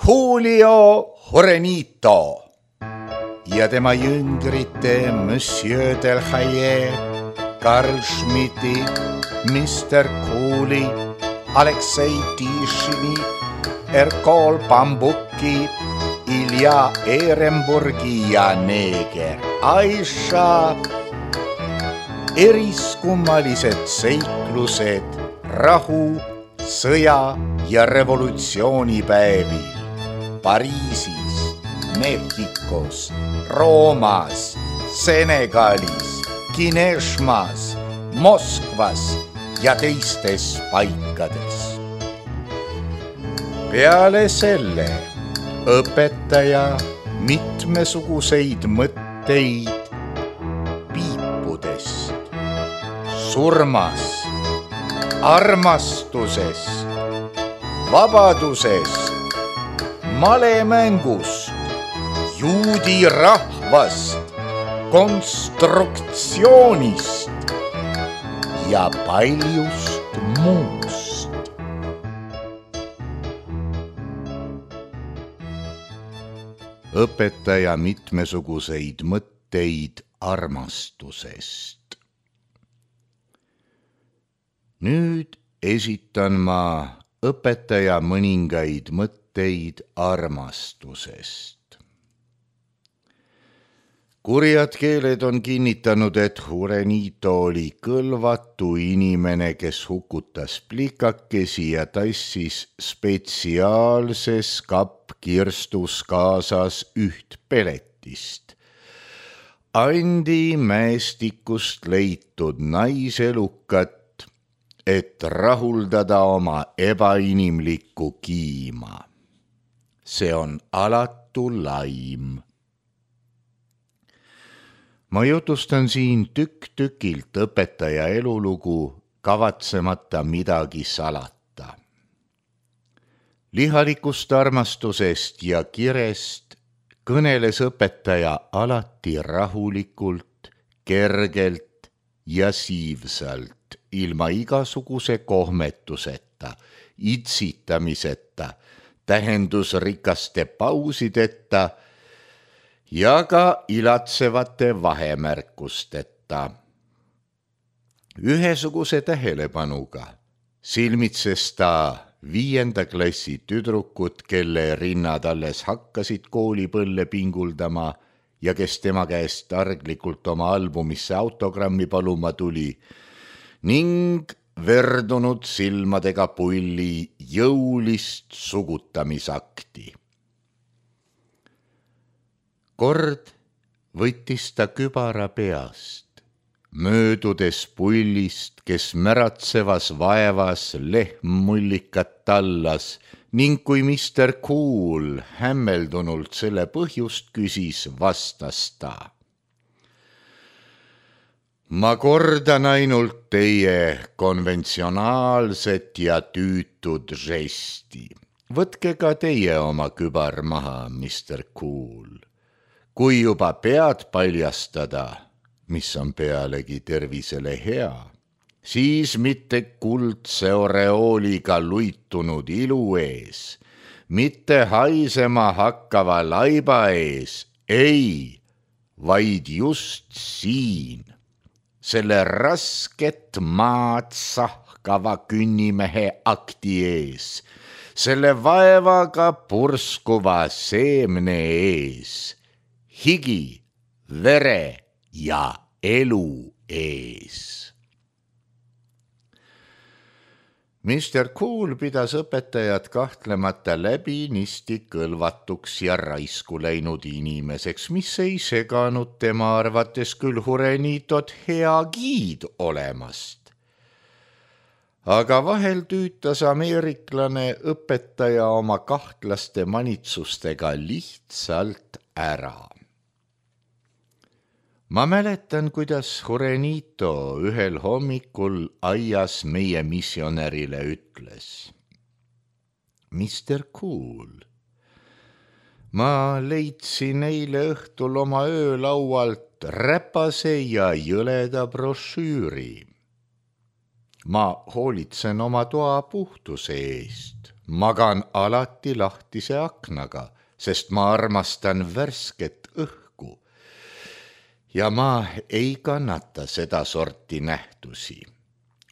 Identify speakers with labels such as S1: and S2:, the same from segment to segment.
S1: Julio Jurenito ja tema jüngrite Monsieur Del Haye, Karl Schmidti, Mr. Cooli, Aleksei Tišini, Erkol Bambuki, Ilja Ehrenburgi ja neeger Aisha. Eriskummalised seiklused rahu, sõja ja revolutsioonipäevil Pariisis, Mehhikos, Roomas, Senegalis, Kineshmas, Moskvas ja teistes paikades. Peale selle õpetaja mitmesuguseid mõtteid piipudest, surmast, armastusest, vabadusest, malemängust, juudi rahvast, konstruktsioonist ja paljust muust. Õpetaja mitmesuguseid mõtteid armastusest. Nüüd esitan ma õpetaja mõningaid mõtteid armastusest. Kurjad keeled on kinnitanud, et Jurenito oli kõlvatu inimene, kes hukutas plikakesi ja tassis spetsiaalses kappkirstus kaasas üht peletist. Andi mäestikust leitud naiselukat, et rahuldada oma ebainimlikku kiima. See on alatu laim. Ma jutustan siin tükk-tükilt õpetaja elulugu, kavatsemata midagi salata. Lihalikust armastusest ja kirest kõneles õpetaja alati rahulikult, kergelt ja siivsalt, ilma igasuguse kohmetuseta, itsitamiseta, tähendusrikaste pausideta ja ka ilatsevate vahemärkusteta. Ühesuguse tähelepanuga silmitses ta 5. klassi tüdrukut, kelle rinnad alles hakkasid koolipõlle pinguldama ja kes tema käest targlikult oma albumisse autogrammi paluma tuli, ning verdunud silmadega pulli jõulist sugutamisakti. Kord võttis ta kübara peast, möödudes pullist, kes märatsevas vaevas lehmmullikat tallas, ning kui Mr. Cool hämmeldunult selle põhjust küsis, vastas ta: ma kordan ainult teie konventsionaalset ja tüütud žesti. Võtke ka teie oma kübar maha, Mr. Cool. Kui juba pead paljastada, mis on pealegi tervisele hea, siis mitte kuldse oreooliga luitunud ilu ees, mitte haisema hakkava laiba ees, ei, vaid just siin. Selle rasket maad sahkava künnimehe akti ees, selle vaevaga purskuva seemne ees, higi, vere ja elu ees. Mr. Cool pidas õpetajat kahtlemata läbinisti kõlvatuks ja raisku läinud inimeseks, mis ei seganud tema arvates küll Jurenitot hea giid olemast. Aga vahel tüütas ameeriklane õpetaja oma kahtlaste manitsustega lihtsalt ära. Ma mäletan, kuidas Jurenito ühel hommikul aias meie missionärile ütles: Mr. Cool, ma leidsin eile õhtul oma öölaualt räpase ja jõleda brošüüri. Ma hoolitsen oma toa puhtuse eest. magan alati lahtise aknaga, sest ma armastan värsket õhku. Ja ma ei kannata seda sorti nähtusi.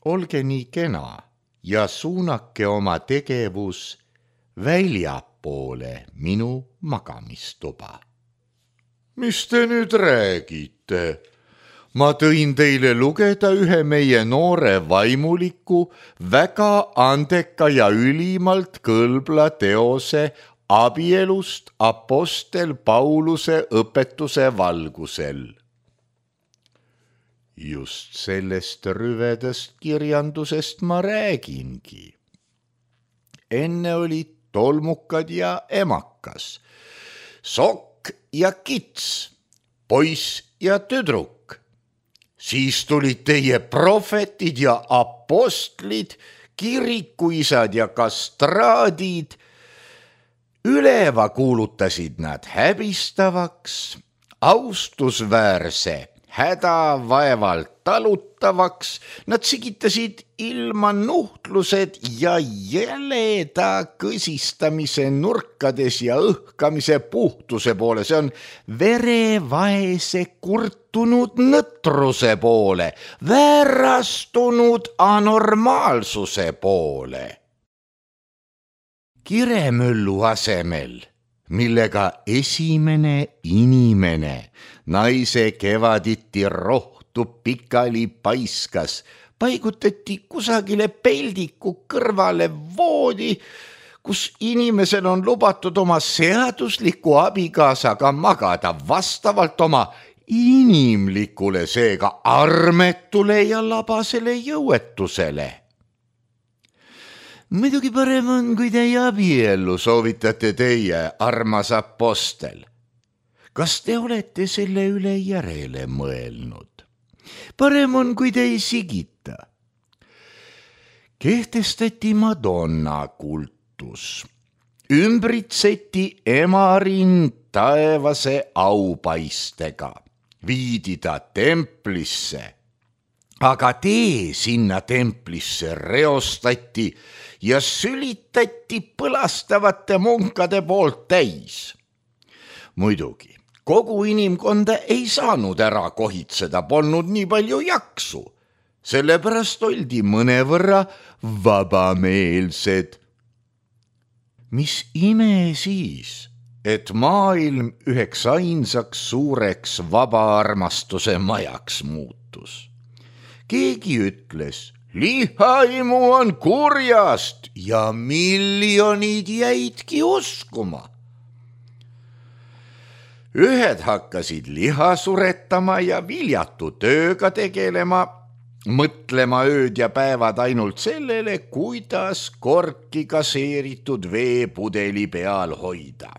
S1: Olge nii kena ja suunake oma tegevus väljapoole minu magamistuba. Mis te nüüd räägite? Ma tõin teile lugeda ühe meie noore vaimuliku, väga andeka ja ülimalt kõlbla teose abielust apostel Pauluse õpetuse valgusel. Just sellest rüvedast kirjandusest ma räägingi. Enne olid tolmukad ja emakas, sokk ja kits, poiss ja tüdruk. Siis tulid teie prohvetid ja apostlid, kirikuisad ja kastraadid. Üleva kuulutasid nad häbistavaks, austusväärse, hädavaevalt talutavaks. Nad sigitasid ilma nuhtlused ja jäleda kõsistamise nurkades ja õhkamise puhtuse poole. See on verevaese kurtunud nõtruse poole, väärastunud anormaalsuse poole. Kiremöllu asemel, millega esimene inimene naise kevaditi rohtu pikali paiskas, paigutati kusagile peldiku kõrvale voodi, kus inimesel on lubatud oma seadusliku abikaasaga magada vastavalt oma inimlikule, seega armetule ja labasele jõuetusele. Muidugi parem on, kui teie abiellu soovitate teie, armas apostel. Kas te olete selle üle järele mõelnud? Parem on, kui te ei sigita. Kehtestati Madonna kultus. Ümbritseti emarind taevase aupaistega. Viidi ta templisse. Aga tee sinna templisse reostati ja sülitati põlastavate munkade poolt täis. Muidugi, kogu inimkonda ei saanud ära kohitseda, polnud nii palju jaksu. Sellepärast oldi mõnevõrra vabameelsed. Mis ime siis, et maailm üheks ainsaks suureks vabaarmastuse majaks muutus. Keegi ütles, lihaimu on kurjast ja miljonid jäidki uskuma. Ühed hakkasid liha suretama ja viljatu tööga tegelema, mõtlema ööd ja päevad ainult sellele, kuidas korki gaseeritud veepudeli peal hoida.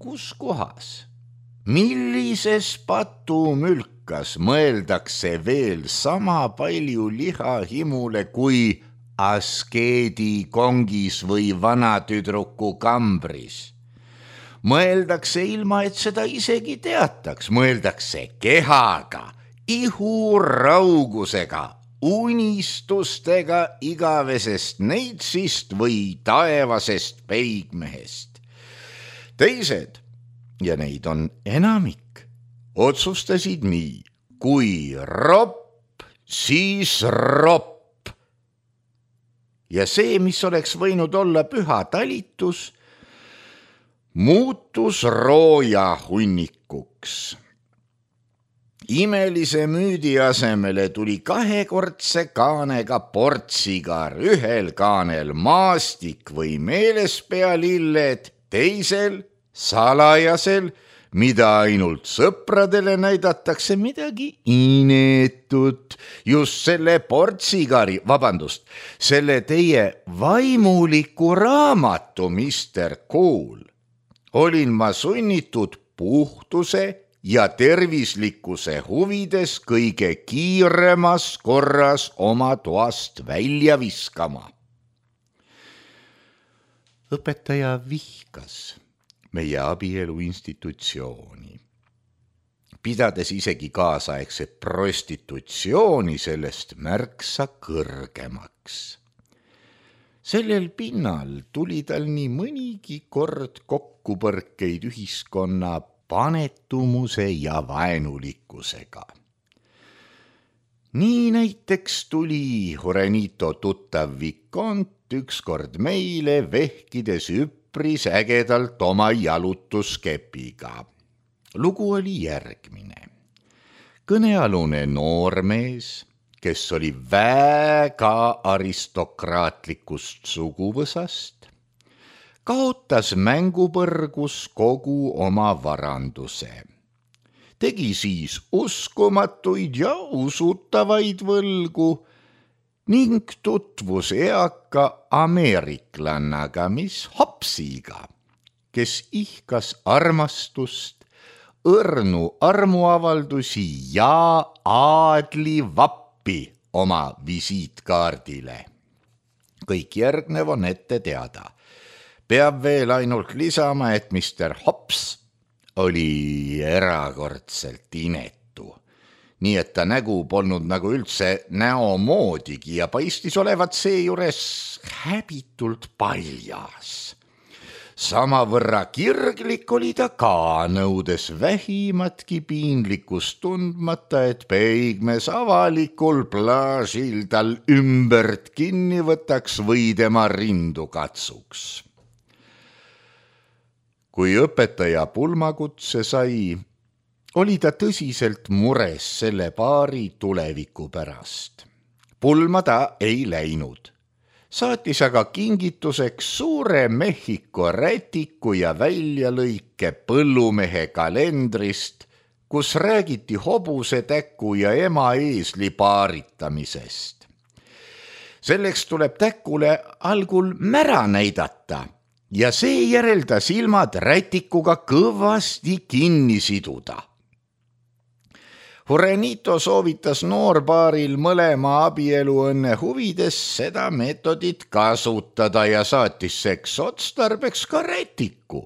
S1: Kus kohas? Millises patumülkas mõeldakse veel sama palju lihahimule kui askeedi kongis või vanatüdruku kambris? Mõeldakse ilma, et seda isegi teataks, mõeldakse kehaga, ihuraugusega, unistustega igavesest neitsist või taevasest peigmehest. Teised, ja neid on enamik, otsustasid nii, kui ropp, siis ropp. Ja see, mis oleks võinud olla püha talitus, muutus rooja hunnikuks. Imelise müüdi asemele tuli 2-kordse kaanega portsigar, ühel kaanel maastik või meelespealilled, teisel salajasel, mida ainult sõpradele näidatakse, midagi ineetut. Just selle portsigari, selle teie vaimuliku raamatu, Mr. Cool, olin ma sunnitud puhtuse ja tervislikkuse huvides kõige kiiremas korras oma toast välja viskama. Õpetaja vihkas meie abielu institutsiooni, pidades isegi kaasaegse prostitutsiooni sellest märksa kõrgemaks. Sellel pinnal tuli tal nii mõnigi kord kokkupõrkeid ühiskonna panetumuse ja vaenulikkusega. Nii näiteks tuli Jurenito tuttav Vicont ükskord meile vehkides üpris ägedalt oma jalutuskepiga. Lugu oli järgmine. Kõnealune noormees, kes oli väga aristokraatlikust suguvõsast, kaotas mängupõrgus kogu oma varanduse. Tegi siis uskumatuid ja usutavaid võlgu ning tutvus eaka ameeriklannaga, mis Hopsiga, kes ihkas armastust, õrnu armuavaldusi ja aadlivappi oma visiitkaardile. Kõik järgnev on ette teada. Peab veel ainult lisama, et Mr. Hops oli erakordselt inetu. Nii et ta nägu polnud nagu üldse näo moodigi ja paistis olevat seejuures häbitult paljas. Samavõrra kirglik oli ta ka, nõudes vähimatki piinlikkust tundmata, et peigmes avalikul plaažil tal ümbert kinni võtaks või tema rindu katsuks. Kui õpetaja pulmakutse sai, oli ta tõsiselt mures selle paari tuleviku pärast. Pulma ta ei läinud. Saatis aga kingituseks suure Mehhiko rätiku ja väljalõike põllumehe kalendrist, kus räägiti hobusetäku ja ema eesli paaritamisest. Selleks tuleb täkule algul mära näidata ja seejärel ta silmad rätikuga kõvasti kinni siduda. Jurenito soovitas noorpaaril mõlema abieluõnne huvides seda meetodit kasutada ja saatis seks otstarbeks ka rätiku.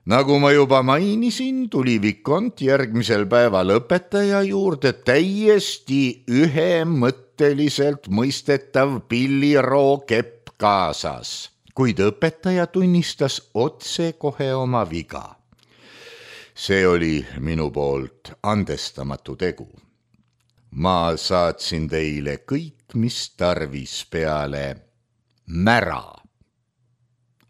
S1: Nagu ma juba mainisin, tuli Vicont järgmisel päeval õpetaja juurde täiesti ühemõtteliselt mõistetav pilliroo kepp kaasas, kuid õpetaja tunnistas otse kohe oma viga. See oli minu poolt andestamatu tegu. Ma saatsin teile kõik, mis tarvis peale mära.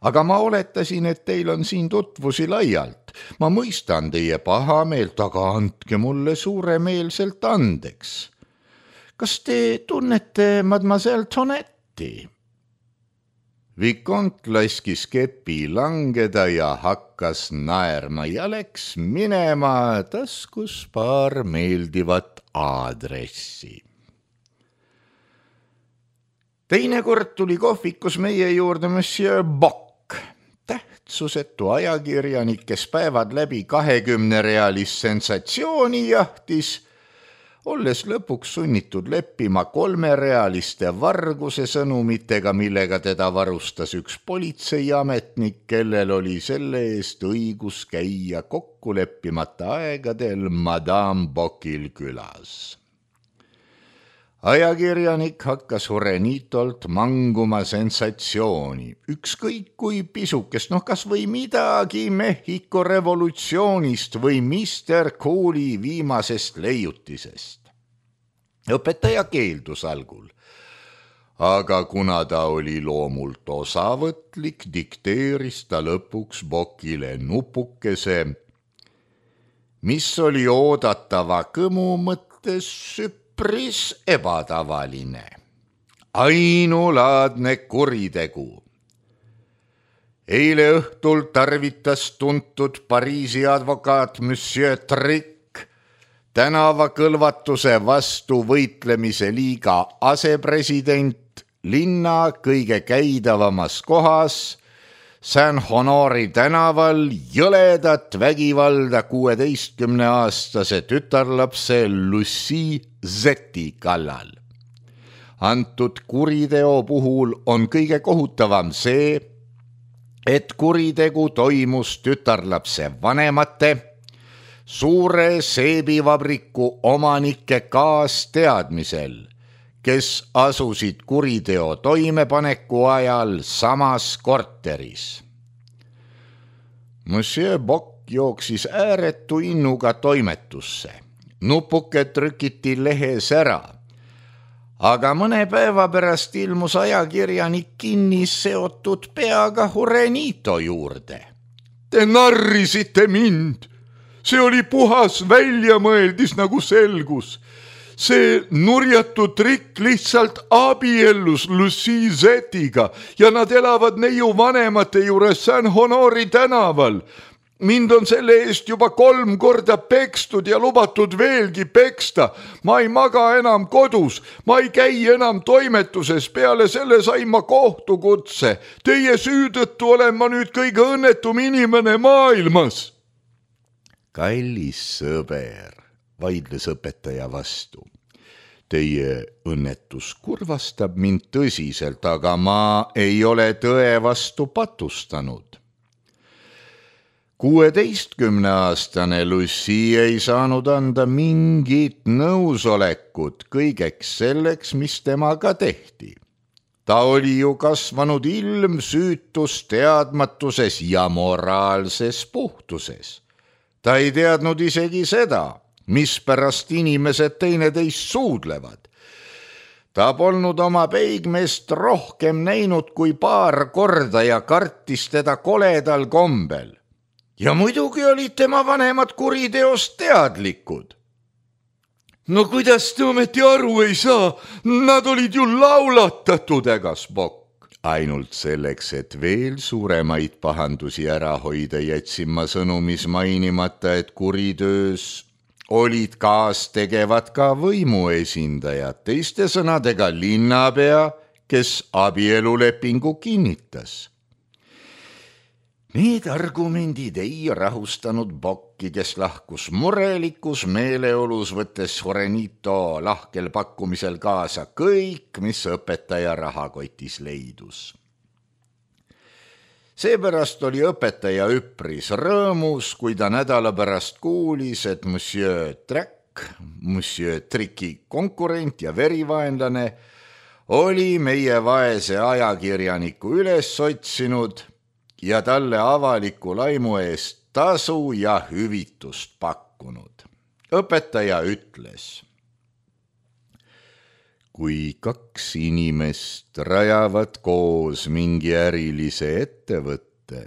S1: Aga ma oletasin, et teil on siin tutvusi laialt. Ma mõistan teie pahameelt, aga andke mulle suuremeelselt andeks. Kas te tunnete mademoiselle Tonetti? Vicont laskis kepi langeda ja hakkas naerma ja läks minema, taskus paar meeldivat aadressi. Teinekord tuli kohvikus meie juurde Monsieur Bock, tähtsusetu ajakirjanik, kes päevad läbi 20-realist sensatsiooni jahtis, olles lõpuks sunnitud leppima 3-realiste varguse sõnumitega, millega teda varustas üks politseiametnik, kellel oli selle eest õigus käia kokkuleppimata aegadel Madame Bockil külas. Ajakirjanik hakkas Jurenitolt manguma sensatsiooni, ükskõik kui pisukest, kas või midagi Mehhiko revolutsioonist või Mr. Cool'i viimasest leiutisest. Õpetaja keeldus algul, aga kuna ta oli loomult osavõtlik, dikteeris ta lõpuks Bockile nupukese, mis oli oodatava kõmu mõttes üpris ebatavaline. Ainulaadne kuritegu. Eile õhtul tarvitas tuntud Pariisi advokaat Monsieur Trick tänavakõlvatuse vastu võitlemise liiga asepresident linna kõige käidavamas kohas Saint-Honori tänaval jõledat vägivalda 16-aastase tütarlapse Lucie Zeti kallal. Antud kuriteo puhul on kõige kohutavam see, et kuritegu toimus tütarlapse vanemate, suure seebivabriku omanike kaasteadmisel, kes asusid kuriteo toimepaneku ajal samas korteris. Monsieur Bock jooksis ääretu innuga toimetusse. Nupuke trükiti lehes ära, aga mõne päeva pärast ilmus ajakirjanik kinni seotud peaga Jurenito juurde. Te narrisite mind. See oli puhas väljamõeldis, nagu selgus. See nurjatu trikk lihtsalt abiellus Lucie Zetiga ja nad elavad neiu vanemate juures San Honori tänaval. Mind on selle eest juba 3 korda pekstud ja lubatud veelgi peksta. Ma ei maga enam kodus, ma ei käi enam toimetuses, peale selle sain ma kohtukutse. Teie süü tõttu olen ma nüüd kõige õnnetum inimene maailmas. Kallis sõber, vaidles õpetaja vastu. Teie õnnetus kurvastab mind tõsiselt, aga ma ei ole tõe vastu patustanud. 16-aastane Lucie ei saanud anda mingit nõusolekut kõigeks selleks, mis temaga tehti. Ta oli ju kasvanud ilmsüütus teadmatuses ja moraalses puhtuses. Ta ei teadnud isegi seda, mispärast inimesed teineteist suudlevad. Ta polnud oma peigmeest rohkem näinud kui 2 korda ja kartis teda koledal kombel. Ja muidugi olid tema vanemad kuriteost teadlikud. No kuidas te ometi aru ei saa? Nad olid ju laulatatud, ägas Bock. Ainult selleks, et veel suuremaid pahandusi ära hoida, jätsin ma sõnumis mainimata, et kuritöös olid kaastegevad ka võimuesindajad, teiste sõnadega linnapea, kes abielulepingu kinnitas. Need argumendid ei rahustanud Bocki, kes lahkus murelikus meeleolus, võttes Jurenito lahkel pakkumisel kaasa kõik, mis õpetaja rahakotis leidus. Seepärast oli õpetaja üpris rõõmus, kui ta nädala pärast kuulis, et Monsieur Tricki konkurent ja verivaenlane oli meie vaese ajakirjaniku üles otsinud ja talle avaliku laimu eest tasu ja hüvitust pakkunud. Õpetaja ütles: kui 2 inimest rajavad koos mingi ärilise ettevõtte,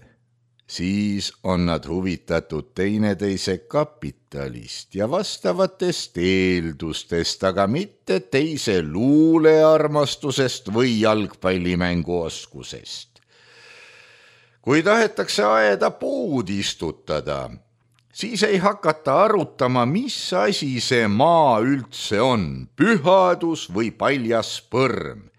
S1: siis on nad huvitatud teineteise kapitalist ja vastavatest eeldustest, aga mitte teise luulearmastusest või jalgpallimängu oskusest. Kui tahetakse aeda puud istutada, siis ei hakata arutama, mis asi see maa üldse on, pühadus või paljas põrm.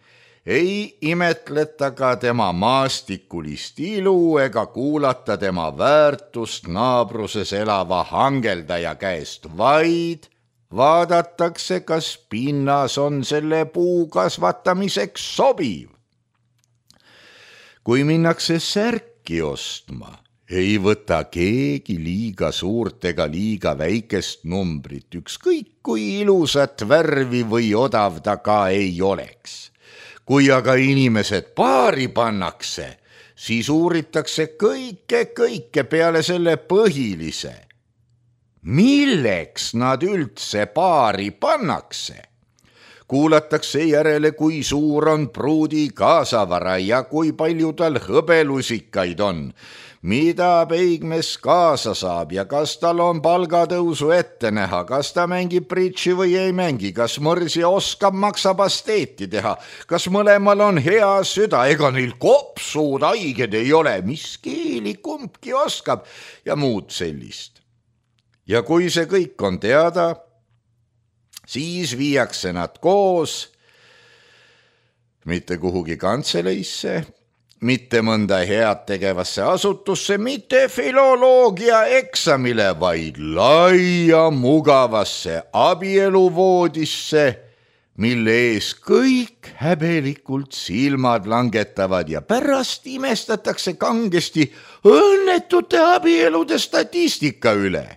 S1: Ei imetleta ka tema maastikulist ilu ega kuulata tema väärtust naabruses elava hangeldaja käest, vaid vaadatakse, kas pinnas on selle puu kasvatamiseks sobiv. Kui minnakse särki ostma, ei võta keegi liiga suurt ega liiga väikest numbrit, ükskõik kui ilusat värvi või odav ta ka ei oleks. Kui aga inimesed paari pannakse, siis uuritakse kõike peale selle põhilise. Milleks nad üldse paari pannakse? Kuulatakse järele, kui suur on pruudi kaasavara ja kui palju tal hõbelusikaid on, mida peigmees kaasa saab ja kas tal on palgatõusu ette näha, kas ta mängib bridži või ei mängi, kas mõrsi oskab maksapasteeti teha, kas mõlemal on hea süda, ega neil kopsud haiged ei ole, mis keeli kumbki oskab ja muud sellist. Ja kui see kõik on teada, siis viiakse nad koos mitte kuhugi kantseleisse, mitte mõnda head tegevasse asutusse, mitte filoloogia eksamile, vaid laia mugavasse abieluvoodisse, mille ees kõik häbelikult silmad langetavad ja pärast imestatakse kangesti õnnetute abielude statistika üle.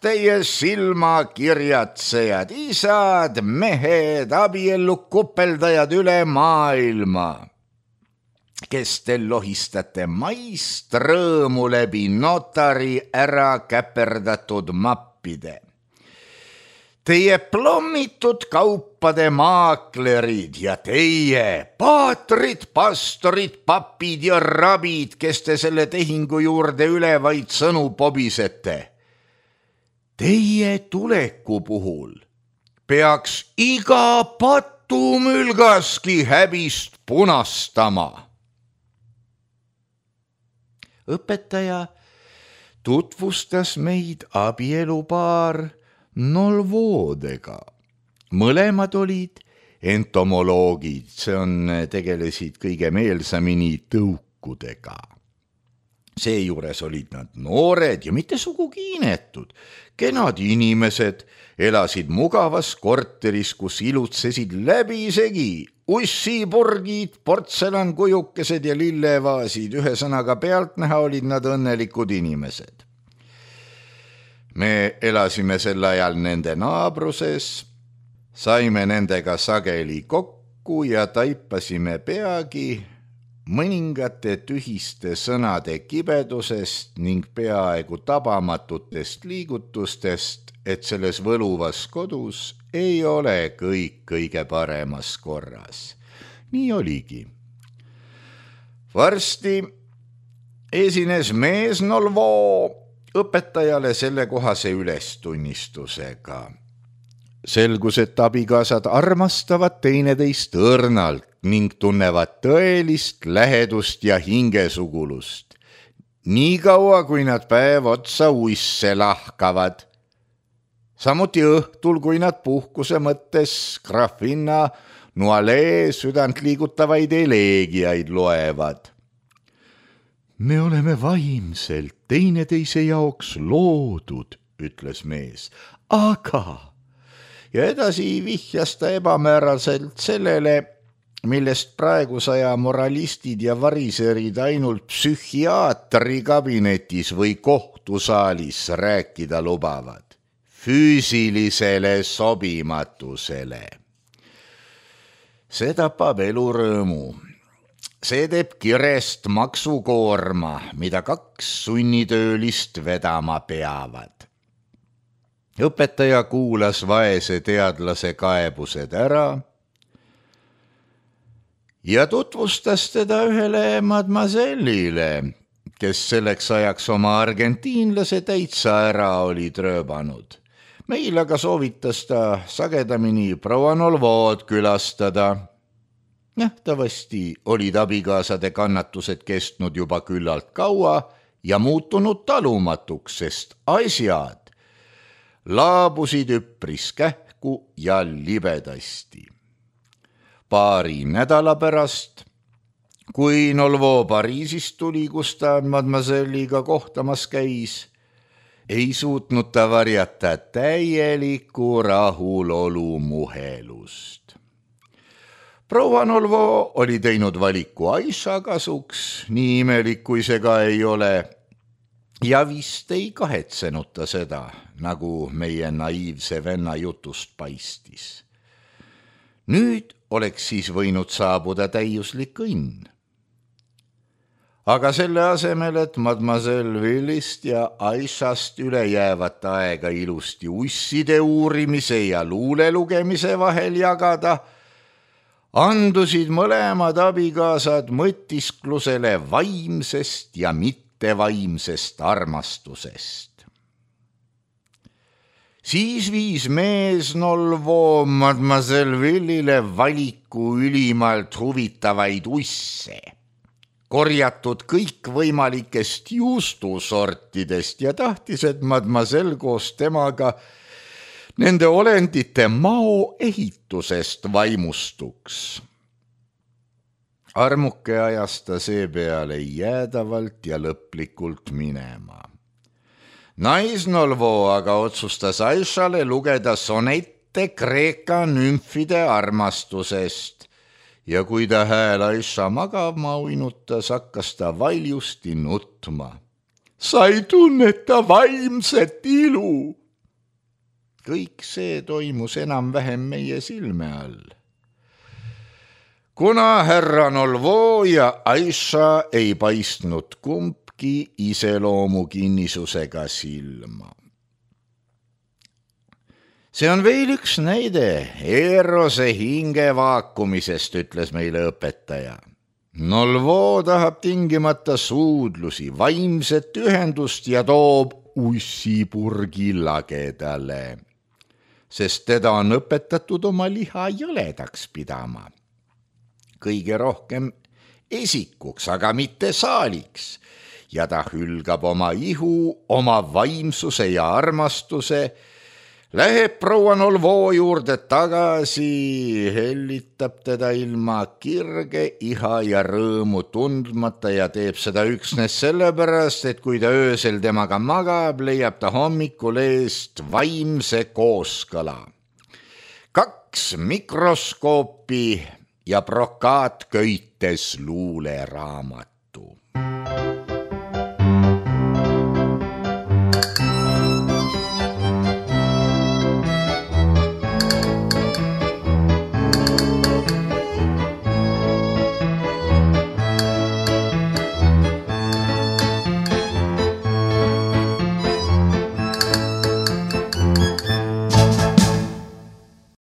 S1: teie silmakirjatsejad, isad, mehed, abiellu kupeldajad üle maailma, kes te lohistate maist rõõmu läbi notari ära käperdatud mappide. Teie plommitud kaupade maaklerid ja teie paatrid, pastorid, papid ja rabid, kes te selle tehingu juurde üle vaid sõnu pobisete. Teie tuleku puhul peaks iga patumülgaski häbist punastama. Õpetaja tutvustas meid abielupaar Nolvodega. Mõlemad olid entomoloogid, tegelesid kõige meelsamini tõukudega. Seejuures olid nad noored ja mitte sugugi inetud. Kenad inimesed elasid mugavas korteris, kus ilutsesid läbisegi ussipurgid, portsellankujukesed ja lillevaasid. Ühesõnaga pealtnäha olid nad õnnelikud inimesed. Me elasime sel ajal nende naabruses, saime nendega sageli kokku ja taipasime peagi mõningate tühiste sõnade kibedusest ning peaaegu tabamatutest liigutustest, et selles võluvas kodus ei ole kõik kõige paremas korras. Nii oligi. Varsti esines mees Nolvo õpetajale sellekohase ülestunnistusega. Selgus, et abikaasad armastavad teineteist õrnalt ning tunnevad tõelist lähedust ja hingesugulust, nii kaua, kui nad päev otsa uisse lahkavad. Samuti õhtul, kui nad puhkuse mõttes graafinna Noalee südant liigutavaid eleegiaid loevad. Me oleme vaimselt teineteise jaoks loodud, ütles mees, aga... Ja edasi vihjas ta ebamääraselt sellele, millest praegusaja moralistid ja variserid ainult psühhiaatri kabinetis või kohtusaalis rääkida lubavad. Füüsilisele sobimatusele. See tapab elurõõmu. See teeb kirest maksukoorma, mida 2 sunnitöölist vedama peavad. Õpetaja kuulas vaese teadlase kaebused ära ja tutvustas teda ühele mademoisellile, kes selleks ajaks oma argentiinlase täitsa ära oli trööbanud. Meil aga soovitas ta sagedamini proua Nolvod külastada. Nähtavasti olid abikaasade kannatused kestnud juba küllalt kaua ja muutunud talumatuks, sest asjad laabusid üpris kähku ja libedasti. Paari nädala pärast, kui Nolvo Pariisist tuli, kus ta mademoiselliga kohtamas käis, ei suutnud ta varjata täielikku rahulolu muhelust. Proua Nolvo oli teinud valiku Aisha kasuks, nii imelik kui see ka ei ole, ja vist ei kahetsenud ta seda, nagu meie naiivse venna jutust paistis. Nüüd oleks siis võinud saabuda täiuslik õnn. Aga selle asemel, et mademoiselle Willist ja Aishast üle jäävat aega ilusti usside uurimise ja luule lugemise vahel jagada, andusid mõlemad abikaasad mõtisklusele vaimsest ja mittevaimsest armastusest. Siis viis mees Nolvo mademoiselle Willile valiku ülimalt huvitavaid usse, korjatud kõikvõimalikest juustusortidest ja tahtis, et mademoiselle koos temaga nende olendite mao ehitusest vaimustuks. Armuke ajas ta seepeale jäädavalt ja lõplikult minema. Naisnolvo aga otsustas Aishale lugeda sonette Kreeka nümfide armastusest ja kui ta hääl Aisha magama uinutas, hakkas ta valjusti nutma. sa ei tunneta vaimset ilu. Kõik see toimus enam-vähem meie silme all. Kuna härra Nolvo ja Aisha ei paistnud kumbki iseloomu kinnisusega silma. See on veel üks näide Eerose hinge vaakumisest, ütles meile õpetaja. Nolvo tahab tingimata suudlusi, vaimset ühendust ja toob ussipurgi lagedale, sest teda on õpetatud oma liha jõledaks pidama. Kõige rohkem esikuks, aga mitte saaliks, ja ta hülgab oma ihu, oma vaimsuse ja armastuse, läheb proua Nolvo juurde tagasi, hellitab teda ilma kirge, iha ja rõõmu tundmata ja teeb seda üksnes sellepärast, et kui ta öösel temaga magab, leiab ta hommikul eest vaimse kooskõla. 2 mikroskoopi ja brokaatköites luuleraamatu.